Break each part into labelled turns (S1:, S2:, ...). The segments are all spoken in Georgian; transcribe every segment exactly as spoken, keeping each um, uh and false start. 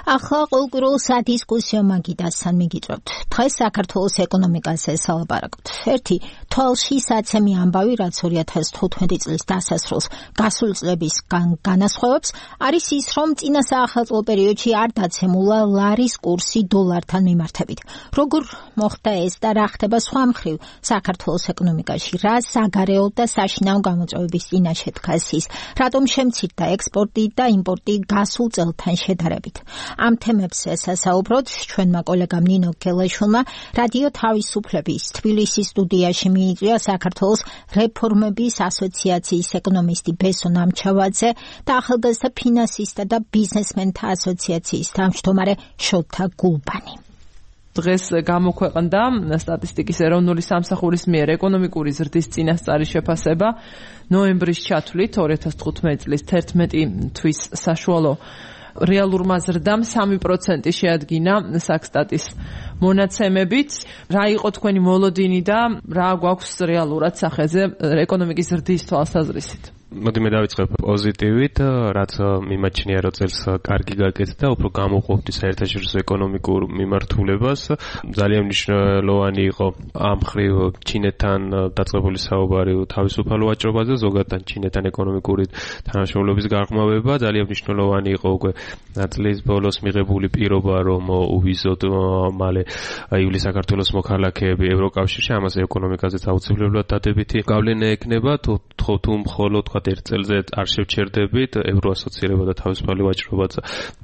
S1: ახლა ყოველკვირეულ სადისკუსიო მაგიდასთან მიგიწევთ. დღეს საქართველოს ეკონომიკაზე სალაპარაკობთ. ერთი თვალში საცემი ამბავი, რაც ორი ათას თხუთმეტი წლის დასასრულს გასული წლების განასხვავებს, არის ის, რომ წინა საახალწლო პერიოდში არ დაცემულა ლარის კურსი დოლართან მიმართებით. როგორ მოხდა ეს და რა ხდება სხვა მხრივ საქართველოს ეკონომიკაში, რა საგარეო და საშინაო გამოწვევების წინაშე დგას ის, რატომ შემცირდა ექსპორტი და იმპორტი გასულ წელთან შედარებით. ამ თემებზე სასაუბროთ ჩვენმა კოლეგამ ნინო გელაშვილმა რადიო თავისუფლების თბილისის სტუდიაში მიიწვია საქართველოს რეფორმების ასოციაციის ეკონომისტი ბესო ნამჩავაძე და ახალგაზრდა ფინანსისტთა და ბიზნესმენთა ასოციაციის თავმჯდომარე შოთა გულბანი.
S2: დღეს გამოქვეყნდა სტატისტიკის ეროვნული სამსახურის მიერ ეკონომიკური ზრდის წინასწარი შეფასება ნოემბრის ჩათვლით ორი ათას თხუთმეტი წლის თერთმეტი თვის საშუალო რეალურმა ზრდამ სამი პროცენტი შეადგინა საქსტატის მონაცემებით. რა იყო თქვენი მოლოდინი და რა გვაქვს რეალურად სახეზე ეკონომიკის ზრდის თვალსაზრისით?
S3: მოდი მე დავიწყებ პოზიტივით, რაც მიმაჩნია, რომ წელს კარგი გაკეთდა, უფრო გამოყოფდი საერთაშორისო ეკონომიკურ მიმართულებას. ძალიან მნიშვნელოვანი იყო ამ მხრივ ჩინეთთან დაწყებული საუბარი თავისუფალ ვაჭრობაზე, ზოგადად ჩინეთთან ეკონომიკური თანამშრომლობის გაღრმავება. ძალიან მნიშვნელოვანი იყო უკვე წლის ბოლოს მიღებული პირობა, რომ უვიზოთ მალე ივლისს საქართველოს მოქალაქეები ევროკავშირში, ამაზე ეკონომიკაზეც აუცილებლად დადებითი გავლენა ექნება, თუ მხოლოდ ერთ წელზე არ შევჩერდებით ევროასოცირება და თავისუფალი ვაჭრობაც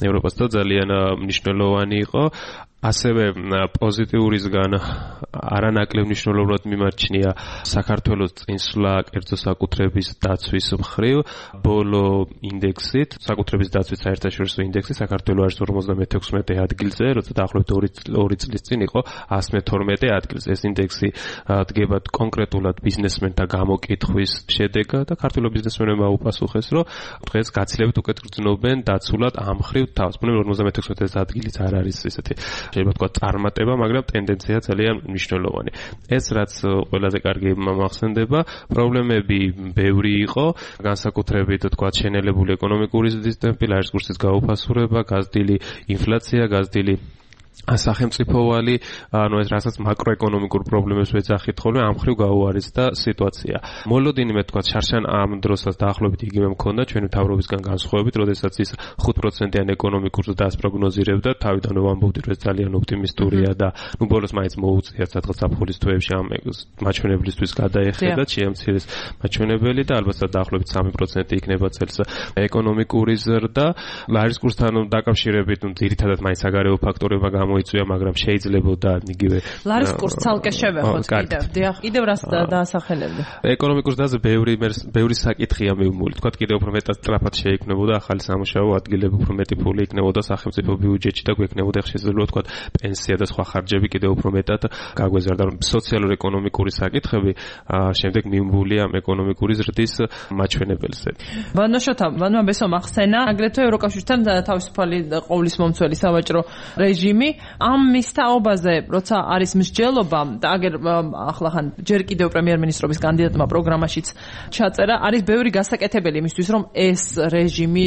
S3: ევროპას და ძალიან მნიშვნელოვანი იყო. ასევე პოზიტიურისგან არანაკლებ მნიშვნელოვნად მიმარჩნია საქართველოს წინსვლა კერძო საკუთრების დაცვის მხრივ. ბოლო ინდექსით, საკუთრების დაცვის საერთაშორისო ინდექსი საქართველოს არის ორმოცდამეთექვსმეტე ადგილზე, როცა დაახლოებით ორი წლის წინ იყო ასი მეთორმეტე ადგილზე. ეს ინდექსი დგება კონკრეტულად ბიზნესმენთა გამოკითხვის შედეგად და ქართული ბიზნესმენებმა უპასუხეს, რომ დღეს გაცილებით უკეთ გრძნობენ დაცულად ამ მხრივ თავს. ბუნებრივად ორმოცდამეთექვსმეტე ადგილიც არ არის ესეთი შეიძლება თქვა წარმატება, მაგრამ ტენდენცია ძალიან მნიშვნელოვანი. ეს რაც ყველაზე კარგი მახსენდება, პრობლემები ბევრი იყო, განსაკუთრებით თქვა შენელებული ეკონომიკური ზრდის ტემპი, ლარის კურსის გაუფასურება, გაზრდილი ინფლაცია, გაზრდილი სახელმწიფოვალი, ანუ ეს რასაც მაკროეკონომიკურ პრობლემებს ვეძახით ხოლმე, ამ მხრივ გაუარესდა სიტუაცია. მოლოდინი მე თქვა შარშან ამ დროსაც დაახლოებით იგივე მქონდა ჩვენი მთავრობისგან განსხვავებით, როდესაც ის ხუთ პროცენტიან ეკონომიკურ ზრდას პროგნოზირებდა, თავიდანვე ვამბობდი, რომ ეს ძალიან ოპტიმისტურია და ნუ ბოლოს მაინც მოუწია სადღაც ზაფხულის თვეებში ამ მაჩვენებლისთვის გადაეხედა, შეამცირეს მაჩვენებელი და ალბათ დაახლოებით სამი პროცენტი იქნება წელს ეკონომიკური ზრდა. ლარის კურსთან დაკავშირებით, ნუ ძირითადად მაინც საგარეო ფაქტორებმა მოიწვია, მაგრამ შეიძლებოდა იგივე
S2: ლარის კურსს ცალკე შევეხოთ კიდევ. დიახ, კიდევ რას დაასახელებდა?
S3: ეკონომიკურ ზრდაზე ბევრი ბევრი საკითხია მივმული. თქვა კიდევ უფრო მეტად სწრაფად შეიქმნებოდა ახალი სამუშაო ადგილები, უფრო მეტი ფული იქნებოდა სახელმწიფო ბიუჯეტში და გვექნებოდა შესაძლებლობა თქვა პენსია და სხვა ხარჯები კიდევ უფრო მეტად გაგვეზარდა. სოციალურ-ეკონომიკური საკითხები შემდეგ მივმულია ამ ეკონომიკური ზრდის მაჩვენებელზე.
S2: ვანო შოთა, ვანო ბესო ახსენა, აგრეთვე ევროკავშირთან თავისუფალი ყოვლის მომცველი სავაჭრო რეჟიმი. ამ მისთაობაზე, როცა არის მსჯელობა და აგერ ახლა ხან ჯერ კიდევ პრემიერ-მინისტრობის კანდიდატმა პროგრამაშიც ჩაწერა, არის ბევრი გასაკეთებელი იმისთვის, რომ ეს რეჟიმი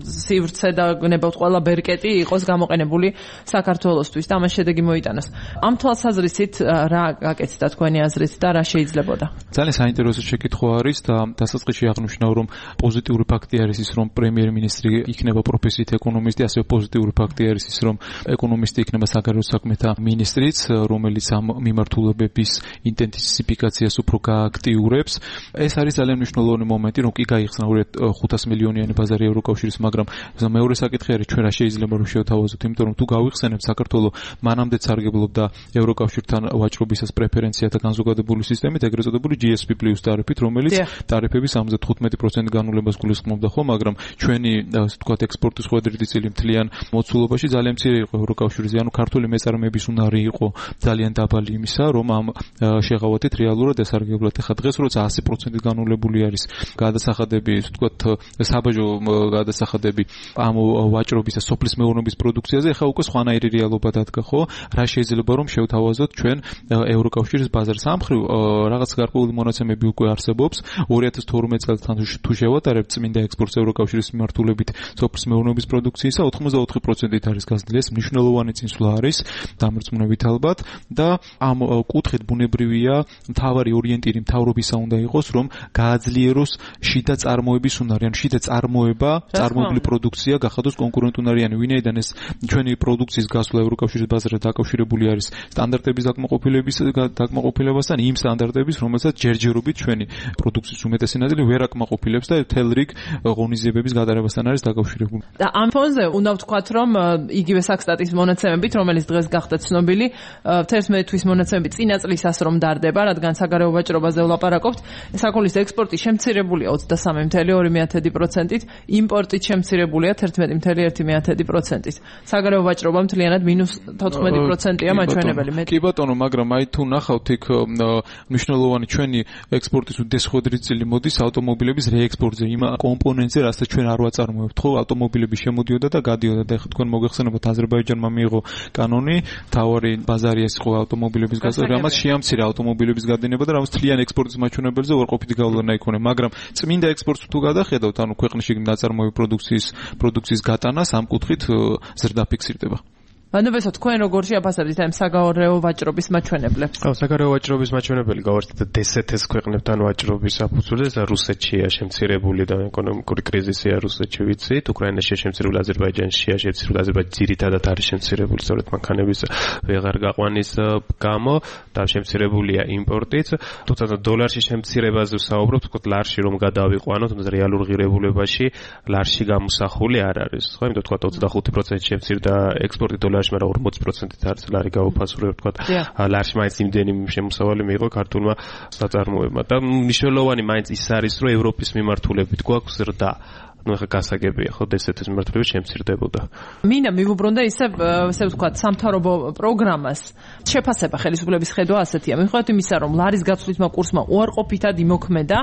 S2: სივრცე და გნებავთ ყველა ბერკეტი იყოს გამოყენებული საქართველოსთვის და ამას შედეგი მოიტანოს. ამ თვალსაზრისით რა გაკეთდა თქვენი აზრით და რა შეიძლებოდა?
S4: ძალიან საინტერესო შეკითხვა არის და დასაწყისში აღნიშნავ, რომ პოზიტიური ფაქტი არის ის, რომ პრემიერ-მინისტრი იქნება პროფესიით ეკონომისტი, ასევე პოზიტიური ფაქტი არის ის, რომ ეკონომისტი იქნება საგარეო საქმეთა მინისტრიც, რომელიც ამ მიმართულებების ინტენსიფიკაციას უფრო გააქტიურებს. ეს არის ძალიან მნიშვნელოვანი მომენტი, რომ კი გაიხსნა ხუთას მილიონიანი ბაზარი ევროკავშირის, მაგრამ მეორე საკითხი არის ჩვენ რა შეიძლება რომ შევთავაზოთ, იმიტომ რომ თუ გავიხსენებთ საქართველოს მანამდე სარგებლობდა ევროკავშირთან ვაჭრობისას პრეფერენციათა განზოგადებული სისტემით, ეგრეთ წოდებული ჯი ეს პი პლუს ტარიფით, რომელიც ტარიფების ორმოცდათხუთმეტი პროცენტი განულებას გულისხმობდა ხო, მაგრამ ჩვენი ასე ვთქვათ ექსპორტის ხვედრითი წილი მთლიან მოცულობაში ძალიან მცირე იყო ევროკავშირის ექსპორტზე, ანუ ქართული მეწარმეების უნარი იყო ძალიან დაბალი იმისა, რომ ამ შეღავათით რეალურად ესარგებლოთ. ეხლა დღეს როცა ასი პროცენტი განულებული არის გადასახადები, ისე ვთქვათ, საბაჟო გადასახადები ამ ვაჭრობის და სოფლის მეურნეობის პროდუქციაზე, ეხლა უკვე სხვანაირი რეალობა დადგა, ხო? რა შეიძლება რომ შევთავაზოთ ჩვენ ევროკავშირის ბაზარს. ამ მხრივ რაღაც გარკვეული მონაცემები უკვე არსებობს. ორი ათას თორმეტ წელს თუ შევატარებთ წმინდა ექსპორტს ევროკავშირის მიმართულებით სოფლის მეურნეობის პროდუქციისა, ოცდაოთხი პროცენტით არის გაზრდილი. ეს მნიშვნელოვანი წინსვლა არის დამრწმუნებით ალბათ და ამ კუთხით ბუნებრივია მთავარი ორიენტირი მთავრობისა უნდა იყოს, რომ გააძლიეროს შიდა წარმოების უნარი, ან შიდა წარმოება, წარმოებული პროდუქცია გახადოს კონკურენტუნარიანი. ვინაიდან ეს ჩვენი პროდუქციის გასვლა ევროკავშირის ბაზარზე დაკავშირებული არის სტანდარტების დაკმაყოფილების დაკმაყოფილებასთან, იმ სტანდარტების, რომელსაც ჯერჯერობით ჩვენი პროდუქციის უმეტესი ნაწილი ვერ აკმაყოფილებს და მთელ რიგ ღონისძიებების გატარებასთან არის დაკავშირებული.
S2: და ამ ფონზე უნდა ვთქვათ, რომ იგივე საქსტატის მონაცემებით, რომელიც დღეს გახდა ცნობილი, თერთმეტი თვის მონაცემებით წინა წლისას რომ დარდება, რადგან საგარეო ვაჭრობაზე ვლაპარაკობთ, საქონლის ექსპორტი შემცირებულია ოცდასამი ფاصლე ორი პროცენტით, იმპორტით შემცირებულია თერთმეტი ფاصლე ერთი პროცენტით. საგარეო ვაჭრობა მთლიანად მინუს თოთხმეტი პროცენტია მაჩვენებელი.
S4: კი ბატონო, მაგრამ აი თუ ნახავთ იქ მნიშვნელოვანი ჩვენი ექსპორტის უდესხოდრი წილი მოდის ავტომობილების რეექსპორტზე, იმ კომპონენტზე, რასაც ჩვენ არ ვაწარმოებთ, ხო, ავტომობილები შემოდიოდა და გადიოდა და ეხლა თქვენ მოგეხსენებათ აზერბაიჯანმა მიიღო კანონი, თავარი ბაზარი ეს იყო ავტომობილების გასწორება, რამაც შეამცირა ავტომობილების გადინება და რამაც თლიანი ექსპორტის მაჩვენებელზე უარყოფითი გავლენა იქონია, მაგრამ წმინდა ექსპორტს თუ გადახედავთ, ანუ ქვეყნში ნაწარმოები პროდუქციის პროდუქციის გატანას ამ კუთხით ზრდა ფიქსირდება.
S2: ანუ თქვენ როგორ შეაფასებთ ამ საგარეო ვაჭრობის მაჩვენებლებს?
S3: ხო, საგარეო ვაჭრობის მაჩვენებელი გავარდეთ დე-სეტ-ის ქვეყნებთან ვაჭრობის საფუძველზე, რუსეთშია შემცირებული და ეკონომიკური კრიზისია რუსეთში ვიცით, უკრაინაშია შემცირებული, აზერბაიჯანშია შემცირებული, აზერბაიჯანი ძირითადად არის შემცირებული სწორედ მანქანების ვეღარ გაყვანის გამო და შემცირებულია იმპორტიც. თუმცა დოლარში შემცირებაზე ვსაუბრობთ, თქო ლარში რომ გადავიყვანოთ, თუმცა რეალურ ღირებულებაში ლარში გამოსახული არ არის. ხო, იმიტომ თქვა ოცდახუთი პროცენტი შემცირდა ექსპორტი დოლარში, მაგრამ ორმოცი პროცენტით არის ლარი გაუფასურებ, თქვა ლარში მაინც იმდენი შემოსავალი მიიღო ქართულმა საწარმოებმა და მნიშვნელოვანი მაინც ის არის, რომ ევროპის მიმართულებით გვაქვს ზრდა. ну ეხა გასაგებია ხო დე-სეტ-ის მიმართულებით შემცირდებოდა.
S2: მინდა მივუბრუნდე ისე ესე ვთქვათ სამთავრობო პროგრამას შეფასება ხელისუფლების ხედვა ასეთია. მიუხედავად იმისა, რომ ლარის გაცვლითმა კურსმა უარყოფითად იმოქმედა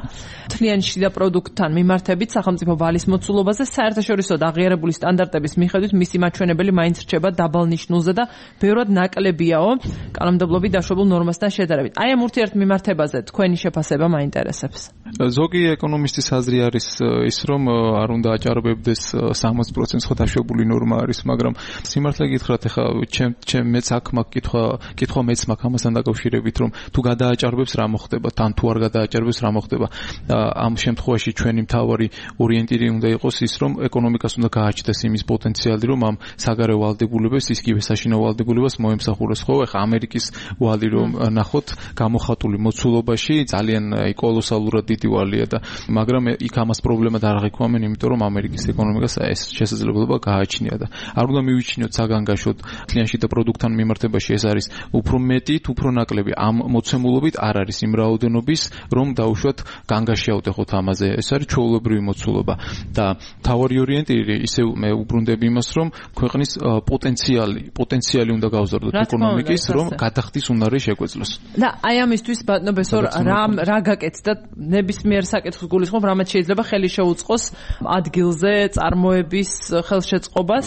S2: მთლიანი შიდა პროდუქტთან მიმართებით სახელმწიფო ვალის მოცულობაზე, საერთაშორისო და აღიარებული სტანდარტების მიხედვით მისი მაჩვენებელი მაინც რჩება დაბალნიშნულზე და ბევრად ნაკლებიაო კანონმდებლობით დაშვებულ ნორმასთან შედარებით. აი ამ ურთიერთმიმართებაზე თქვენი შეფასება მაინტერესებს.
S4: ზოგი ეკონომისტის აზრი არის ის, რომ არ უნდა აჭარბებდეს სამოცი პროცენტს ხო დაშვებული ნორმა არის, მაგრამ სიმართლე გითხრათ, ეხა ჩემ ჩემ მეც აქ მაქვს კითხვა, კითხვა მეც მაქვს ამასთან დაკავშირებით, რომ თუ გადააჭარბებს რა მოხდება, თან თუ არ გადააჭარბებს რა მოხდება. ამ შემთხვევაში ჩვენი მთავარი ორიენტირი უნდა იყოს ის, რომ ეკონომიკას უნდა გააჩნდეს იმის პოტენციალი, რომ ამ საგარეო ვალდებულებას, ისკივე საშინაო ვალდებულებას მოემსახუროს, ხო? ეხა ამერიკის ვალი რომ ნახოთ, გამოხატული მოცულობაში ძალიან კოლოსალურად დიდი ვალია და მაგრამ იქ ამას პრობლემა არ აღიქვამენ, იმიტომ რომ ამერიკის ეკონომიკას ეს შესაძლებლობა გააჩნია და არ უნდა მივიჩინოთ საგანგაშოდ თლიანში და პროდუქტთან მიმართებაში ეს არის უფრო მეტი, უფრო ნაკლები. ამ მოცემულობით არ არის იმ რაოდენობის, რომ დაუშვათ განგაშიავთ ეხოთ ამაზე. ეს არის ჩვეულებრივი მოცულობა და თავარი ორიენტირი ისევ მე უბრუნდები იმას, რომ ქვეყნის პოტენციალი, პოტენციალი უნდა გავზარდოთ ეკონომიკის, რომ გადახდის უნარი შეგვეძლოს.
S2: და აი ამისთვის ბატონო ბესორ რა რა გაკეთდა ნებისმიერ საკითხს გულისხმობ, რამაც შეიძლება ხელი შეუწყოს ადგილზე წარმოების ხელშეწყობას.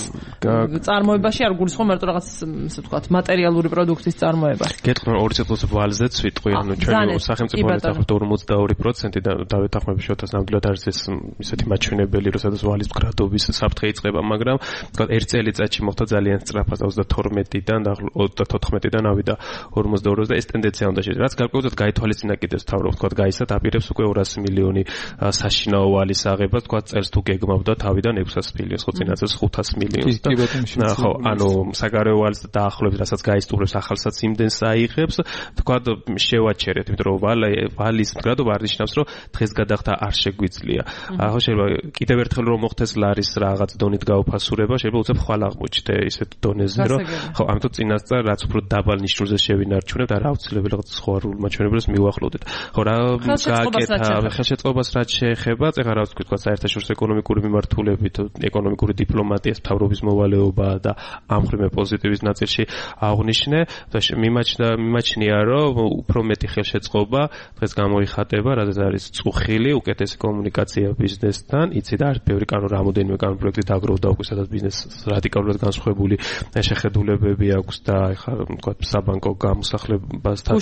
S2: წარმოებაში არ გულისხმობ მარტო რაღაც ისე ვთქვათ მატერიალური პროდუქტის წარმოება.
S3: გეტყვი ორი წელს ვალზე ვიტყვი, ანუ ჩვენი სახელმწიფო ნახავთ ორმოცდაორი პროცენტი და დავეთანხმები შოთას ნამდვილად არის ეს ისეთი მაჩვენებელი, როდესაც ვალის მკრადობის საფრთხე იწყება, მაგრამ ვთქვათ ერთ წელიწადში მოხდა ძალიან სწრაფად ოცდათორმეტიდან და ოცდათოთხმეტიდან ავიდა ორმოცდაორზე და ეს ტენდენცია უნდა შეჭრა. რაც გარკვეულად გაითვალისწინა კიდევ თავრობ, ვთქვათ გაიცათ აპირებს უკვე ორასი მილიონი საშინაო ვალის აღება, ვთქვათ წერს თუ გეგმავდა თავიდან ექვსას მილიონს, ხო წინა წელს ხუთას მილიონს და ხო, ანუ საგარეო ვალს დაახლოებით რასაც გაისტუმრებს ახალსაც იმდენს აიღებს, ვთქვათ შევაჩერეთ, იმიტომ რომ ვალის მდგრადობა არ ნიშნავს, რომ დღეს გადახდა არ შეგვიძლია. ახლა შეიძლება კიდევ ერთხელ რომ მოხდეს ლარის რაღაც დონით გაუფასურება, შეიძლება უცებ ხვალ აღმოჩნდე ისეთ დონეზე, რომ ხო, ამიტომ წინასწარ რაც უფრო დაბალ ნიშნულზე შევინარჩუნებთ, არა აუცილებელი რაღაც სხვა მაჩვენებელს მივახლოვდეთ. ხო, რა გააკეთა ხელშეწყობას რაც შეეხება, ეხლა რა ვთქვი, თქვა საერთაშორისო ეკონომიკური მიმართულებით, ეკონომიკური დიპლომატიის მთავრობის მოვალეობა და ამ ხრივ პოზიტივის ნაწილში აღნიშნე, მიმაჩნდა მიმაჩნია, რომ უფრო მეტი ხელშეწყობა დღეს გამოიხატება, რადგან არის წუხილი, უკეთესი კომუნიკაცია ბიზნესთან, იცი და არის ბევრი კანონი, რამოდენიმე კანონი პროექტი დაგროვდა უკვე, სადაც ბიზნესს რადიკალურად განსხვავებული შეხედულებები აქვს და ეხლა თქვა საბანკო გამოსახლებასთან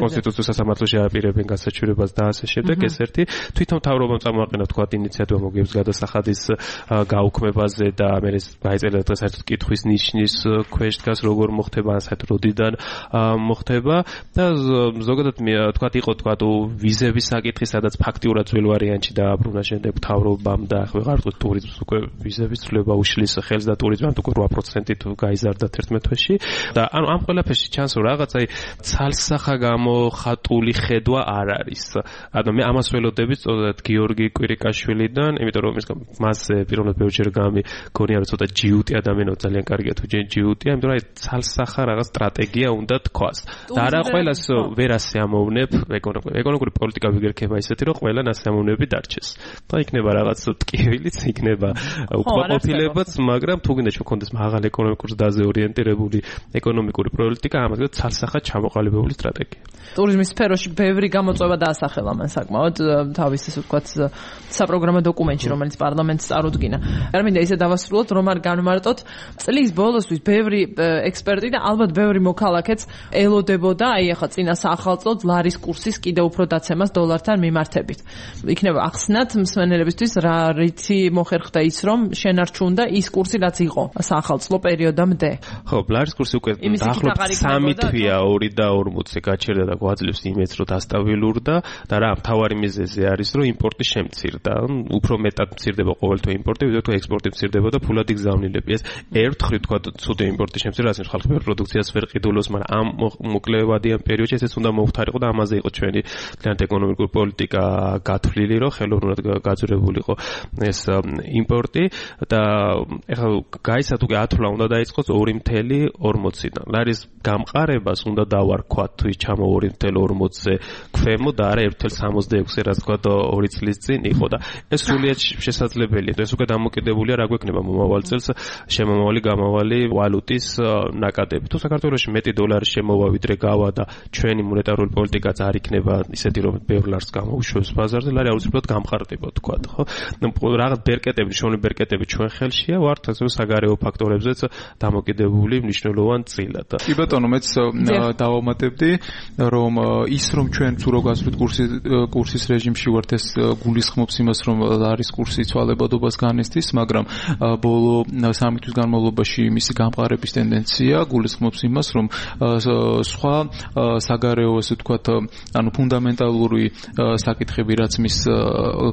S3: კონსტიტუციის სასამართლოში აპირებენ გასაჩივრებას და ასე შემდეგ. ეს ერთი თვითონ მთავრობამ წამოაყენა თქვა ინიციატივა მოგებს გადასახადის გაუქმებაზე და მე ეს გაიწერა დღეს საერთოდ კითხვის ნიშნის ქვეშ დგას როგორ მოხდება ან საერთოდ როდიდან მოხდება და ზოგადად თქვა იყო თქვა ვიზების საკითხი, სადაც ფაქტიურად ძველ ვარიანტში დააბრუნა შემდეგ მთავრობამ და ახლა ვეღარ ვთქვი ტურიზმს უკვე ვიზების ცვლილება უშლის ხელს და ტურიზმი ამ უკვე რვა პროცენტით გაიზარდა თერთმეტ თვეში და ანუ ამ ყველაფერში ჩანს რომ რაღაცა ცალსახა გამოხატული ხედვა არ არის. ანუ მე ამას ველოდები სწორედ გიორგი კვირიკაშვილიდან, იმიტომ რომ მას პიროვნად ბევრჯერ გამიგონია რომ ცოტა ჯიუტი ადამიანო ძალიან კარგია თუ ჯიუტია, იმიტომ რომ აი ცალსახა რაღაც სტრატეგია უნდა თქვას. და არა ყველას ვერ ასიამოვნებ ეკონომიკური პოლიტიკა ვიგერქება ისეთი რომ ყველან ასიამოვნები დარჩეს. და იქნება რაღაც ტკივილიც, იქნება უკმაყოფილებაც, მაგრამ თუ გინდა შეგქონდეს მაღალ ეკონომიკურ დაზე ორიენტირებული ეკონომიკური პოლიტიკა, ამას გქონდეს ცალსახად ჩამოყალიბებული სტრატეგია.
S2: ტურიზმის სფეროში ბევრი გამოწვევა დაასახელა მან საკმაოდ თავის ისე ვთქვათ საპროგრამო დოკუმენტში, რომელიც პარლამენტს წარუდგინა. არ მინდა ისე დავასრულოთ, რომ არ განმარტოთ წლის ბოლოსთვის ბევრი ექსპერტი და ალბათ ბევრი მოქალაქეც ელოდებოდა აი ახლა წინა საახალწლოდ ლარის კურსის კიდევ უფრო დაცემას დოლართან მიმართებით. იქნება ახსნათ მსმენელებისთვის რა რითი მოხერხდა ის, რომ შენარჩუნდა ის კურსი, რაც იყო საახალწლო პერიოდამდე.
S3: ხო, ლარის კურსი უკვე დაახლოებით სამი თვეა ორი და ორმოცი გაჩერდა და გვაძლევს იმედს, რომ დასტაბილურდა და რა მთავარი მიზეზი არის, რომ იმპორტი შემცირდა. უფრო მეტად მცირდება ყოველთვე იმპორტი, ვიდრე თუ ექსპორტი მცირდება და ფულად იგზავნილები. ეს ერთხელ თქვა ცუდი იმპორტი შემცირდა, რაც ხალხი ვერ პროდუქციას ვერ ყიდულობს, მაგრამ ამ მოკლევადიან პერიოდში ესეც უნდა მოუხდარიყო და ამაზე იყო ჩვენი ძალიან ეკონომიკური პოლიტიკა გათვლილი, რომ ხელოვნურად გაძვრებულიყო ეს იმპორტი და ეხლა გაიცა თუ ათვლა უნდა დაიწყოს ორი ორმოცი ორმოციდან. ლარის გამყარებას უნდა დავარქვათ თუ ის ჩამო ორი ორმოცზე ქვემო და არა ერთი სამოცდაექვსი, რაც თქვა ორი წლის წინ იყო და ეს სრულიად შესაძლებელია. ეს უკვე დამოკიდებულია რა გვექნება მომავალ წელს შემომავალი გამავალი ვალუტის ნაკადები. თუ საქართველოში მეტი დოლარის შემოვა ვიდრე გავა და ჩვენი მონეტარული პოლიტიკაც არ იქნება ისეთი რომ ბევრ ლარს გამოუშვებს ბაზარზე, ლარი აუცილებლად გამყარდება თქვა, ხო? რაღაც ბერკეტები, შოვნი ბერკეტები ჩვენ ხელშია, ვართ ასე საგარეო ფაქტორებზეც დამოკიდებული მნიშვნელოვან წილად.
S4: კი ბატონო, მეც დავამატებდი, რომ ის რომ ჩვენ თუ რო გასვლით კურსის კურსის რეჟიმში ვართ, ეს გულისხმობს იმას, რომ ლარის კურსი ცვალებადობას განესთის, მაგრამ ბოლო სამი თვის განმავლობაში მისი გამყარების ტენდენცია გულისხმობს იმას, რომ სხვა საგარეო ასე ვთქვათ, ანუ ფუნდამენტალური საკითხები, რაც მის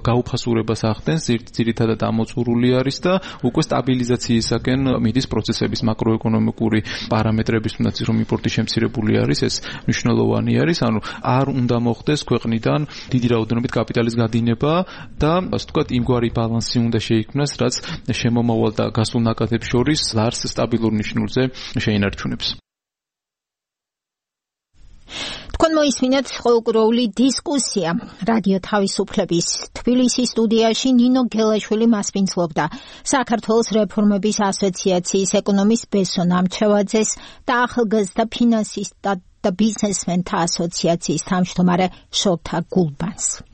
S4: გაუფასურებას ახდენს, ძირითადად ამოწურული არის და უკვე სტაბილიზაციისაკენ მიდის პროცესების მაკროეკონომიკური პარამეტრების, თუნდაც რომ იმპორტი შემცირებული არის, ეს მნიშვნელოვანი არის, ანუ არ უნდა მოხდეს ქვეყნიდან დიდი რაოდენობით კაპიტალის გადინება და ასე ვთქვათ, იმგვარი ბალანსი უნდა შეიქმნას, რაც შემომავალ და გასულ ნაკადებს შორის ლარს სტაბილურ ნიშნულზე შეინარჩუნებს.
S1: თქვენ მოისმინეთ ყოველკვირეული დისკუსია რადიო თავისუფლების თბილისის სტუდიაში ნინო გელაშვილი მასპინძლობდა საქართველოს რეფორმების ასოციაციის ეკონომის ბესო ნამჩევაძეს და ახალგაზრდა ფინანსისტთა და ბიზნესმენთა ასოციაციის თავმჯდომარე შოთა გულბანს.